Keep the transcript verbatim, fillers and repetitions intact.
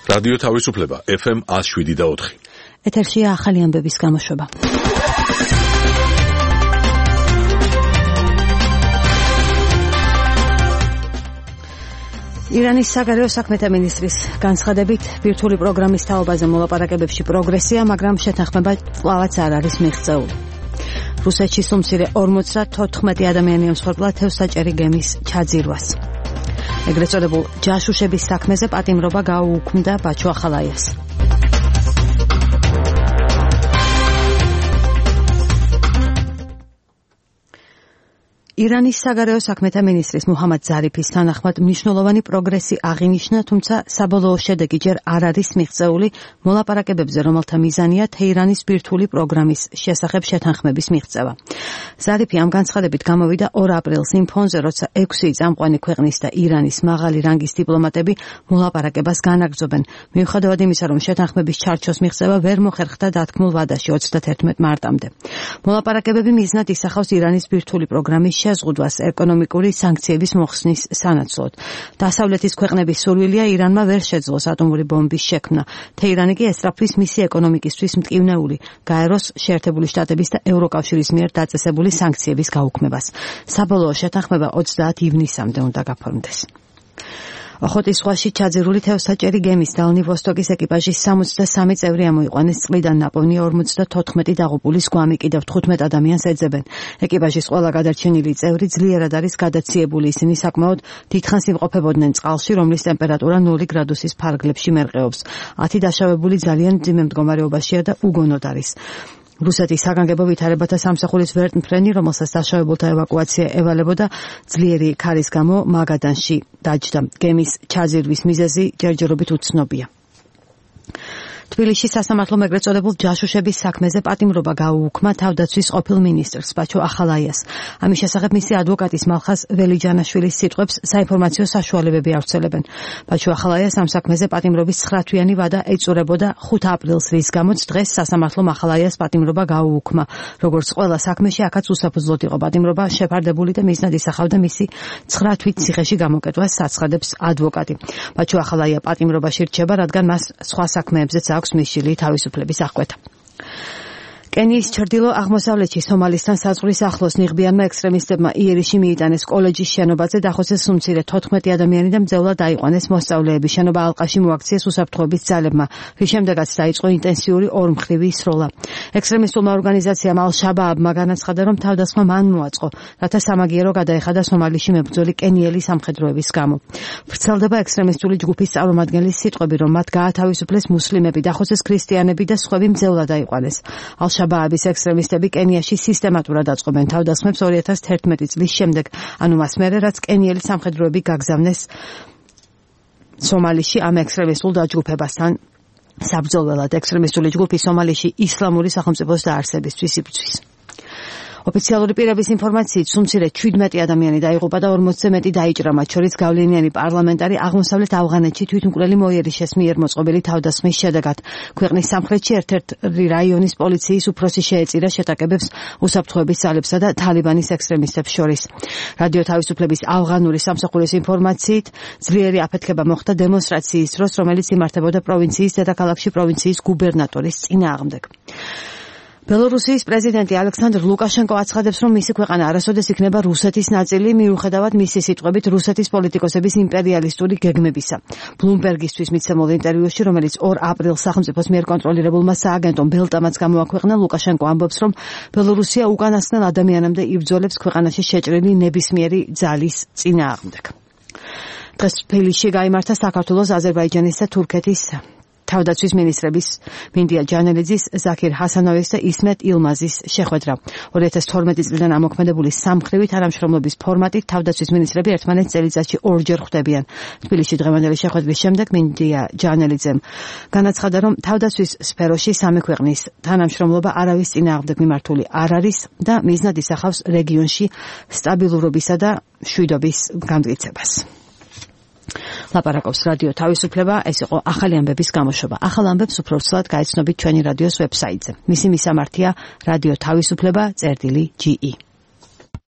რადიო თავისუფლება ეფ ემ one oh seven და four. ეთერშია ახალი ამბების გამოშვება. ირანის საგარეო საქმეთა მინისტრის განცხადებით ბირთვული პროგრამის თაობაზე მოლაპარაკებებში პროგრესია, მაგრამ შეთანხმება კვლავაც არ არის მიღწეული. რუსეთში სუმცირე ორმოც და თოთხმეტი ადამიანი ემსხვერპლა თევზსაჭერი გემის ჩაძირვას. ეგრეთ წოდებულ ჯაშუშების საქმეზე პატიმრობა გაუუქმდა ბაჩო ახალაიას. ირანის საგარეო საქმეთა მინისტრის მუჰამად ზარიფის თანახმად მნიშვნელოვანი პროგრესი აღინიშნა, თუმცა საბოლოო შედეგი ჯერ არ არის მიღწეული მოლაპარაკებებზე, რომელთა მიზანია თეირანის ბირთვული პროგრამის შესახებ შეთანხმების მიღწევა. ზარიფი ამ განცხადებით გამოვიდა ორ აპრილს იმ ფონზე, როცა ექვსი წამყვანი ქვეყნის და ირანის მაღალი რანგის დიპლომატები მოლაპარაკებას განაგრძობენ. მიუხედავად იმისა, რომ შეთანხმების ჩარჩოს მიღწევა ვერ მოხერხდა დათქმულ ვადაში ოცდათერთმეტ მარტამდე. მოლაპარაკებები მიზნად ისახავს ირანის ბირთვული პროგრამის შეზღუდვას ეკონომიკური სანქციების მოხსნის სანაცვლოდ. დასავლეთის ქვეყნების სურვილია ირანმა ვერ შეძლოს ატომური ბომბის შექმნა. თეირანი კი ესწრაფვის მისი ეკონომიკისთვის მტკივნეული გაეროს, შეერთებული შტატების და ევროკავშირის მიერ დაწესებული სანქციების გაუქმებას. საბოლოო შეთანხმება ოცდაათ ივნისამდე უნდა გაფორმდეს. ოხოტის ზღვაში ჩაძირული თევზსაჭერი გემის დალნი ვოსტოკის ეკიპაჟის სამოცდასამი წევრი ამოიყვანეს წყლიდან ნაპოვნი ორმოცდათოთხმეტი დაღუპულის გვამი კიდევ თხუთმეტ ადამიანს ეძებენ. ეკიპაჟის ყველა გადარჩენილი წევრი ძლიერად არის გადაციებული, ისინი საკმაოდ დიდხანს იმყოფებოდნენ წყალში, რომლის ტემპერატურა ნული გრადუსის ფარგლებში მერყეობს. ათი დაშავებული ძალიან მძიმე მდგომარეობაშია და უგონოდ არის. რუსეთის საგანგებო ვითარებათა სამსახურის ვერტმფრენი, რომელსაც დაშავებულთა ევაკუაცია ევალებოდა, ძლიერი ქარის გამო მაგადანში დაჯდა. გემის ჩაძირვის მიზეზი ჯერჯერობით უცნობია. თბილისში სასამართლომ ეგრეთ წოდებულ ჯაშუშების საქმეზე პატიმრობა გაუუქმა თავდაცვის ყოფილ მინისტრს ბაჩო ახალაიას. ამის შესახებ მისი ადვოკატის მალხაზ ველიჯანაშვილის სიტყვებს საინფორმაციო საშუალებები ავრცელებენ. ბაჩო ახალაიას ამ საქმეზე პატიმრობის ცხრათვიანი ვადა ეწურებოდა ხუთ აპრილს, რის გამოც დღეს სასამართლომ ახალაიას პატიმრობა გაუუქმა. როგორც ყველა საქმეში, აქაც უსაფუძვლოდ იყო პატიმრობა შეფარდებული და მიზნად ისახავდა მისი ცხრა თვით ციხეში გამოკეტვას, აცხადებს ადვოკატი. ბაჩო ახალაია პატიმრობაში რჩება, რადგან მას სხვა საქმეებზეც აქვს მისული თავისუფლების აღკვეთა. კენიის ჩრდილო აღმოსავლეთში სომალისთან საზღვრის ახლოს ნიღბიანმა ექსტრემისტებმა იერიში მიიტანეს კოლეჯის შენობაზე დახოცეს სუმცირე თოთხმეტი ადამიანი და მძევლად აიყვანეს მოსწავლეები. შენობა ალყაში მოაქციეს უსაფრთხოების ძალებმა, რის შემდეგაც დაიწყო ინტენსიური ორმხრივი სროლა. ექსტრემისტულმა ორგანიზაციამ ალ-შაბააბმა განაცხადა, რომ თავდასხმა მან მოაწყო, რათა სამაგიერო გადაეხადა სომალიში მებრძოლი კენიელი სამხედროების გამო. ვრცელდება ექსტრემისტული ჯგუფის წარმომადგენლის სიტყვები, რომ მათ გაათავისუფლეს მუსლიმები, დახოცეს ქრისტიანები და სხვები მძევლად აიყვანეს. ბააბის ექსტრემისტები კენიაში სისტემატურად აწყობენ თავდასხმებს ორი ათას თერთმეტი წლის შემდეგ, ანუ მას მერე, რაც კენიელი სამხედროები გაგზავნეს სომალიში ამ ექსტრემისტულ დაჯგუფებასთან საბრძოლველად. ექსტრემისტული ჯგუფი სომალიში ისლამური სახელმწიფოს დაარსებისთვის იბრძვის. ოფიციალური პირების ინფორმაციით სუმცირე შვიდმეტი ადამიანი დაიღუპა და ორმოცზე მეტი დაიჭრა, მათ შორის გავლენიანი პარლამენტარი აღმოსავლეთ ავღანეთში თვითმკვლელი მოიერიშეს მიერ მოწყობილი თავდასხმის შედეგად. ქვეყნის სამხრეთში ერთ-ერთი რაიონის პოლიციის უფროსი შეეწირა შეტაკებებს უსაფრთხოების ძალებსა და თალიბანის ექსტრემისტებს შორის. რადიო თავისუფლების ავღანური სამსახურის ინფორმაციით ძლიერი აფეთქება მოხდა დემონსტრაციის დროს, რომელიც იმართებოდა პროვინციის დედაქალაქში პროვინციის გუბერნატორის წინააღმდეგ. ბელორუსიის პრეზიდენტი ალექსანდრ ლუკაშენკო აცხადებს, რომ მისი ქვეყანა არასოდეს იქნება რუსეთის ნაწილი, მიუხედავად მისი სიტყვებით რუსეთის პოლიტიკოსების იმპერიალისტური გეგმებისა. ბლუმბერგისთვის მიცემულ ინტერვიუში, რომელიც ორ აპრილს სახელმწიფოს მიერ კონტროლირებულმა სააგენტომ ბელტამაც გამოაქვეყნა, ლუკაშენკო ამბობს, რომ ბელორუსია უკანასკნელ ადამიანამდე იბრძოლებს ქვეყანაში შეჭრილი ნებისმიერი ძალის წინააღმდეგ. დღეს თბილისში გაიმართა საქართველოს, აზერბაიჯანის და თურქეთის თავდაცვის მინისტრების მინდია ჯანელიძის, ზაქირ ჰასანოვის და ისმეთ ილმაზის შეხვედრა. ორი ათას თორმეტი წლიდან ამოქმედებული სამმხრივი თანამშრომლობის ფორმატით თავდაცვის მინისტრები ერთმანეთს წელიწადში ორჯერ ხვდებიან. თბილისში დღევანდელი შეხვედრის შემდეგ მინდია ჯანელიძემ განაცხადა, რომ თავდაცვის სფეროში სამი ქვეყნის თანამშრომლობა არავის წინააღმდეგ მიმართული არ არის და მიზნად ისახავს რეგიონში სტაბილურობისა და მშვიდობის გამტკიცებას. ლაპარაკობს რადიო თავისუფლება, ეს იყო ახალი ამბების გამოშვება. ახალ ამბებს უფრო ცუდად გაიცნობით ჩვენი რადიოს ვებსაიტზე. მისი მისამართია რადიო თავისუფლება წერტილი ჯი ი.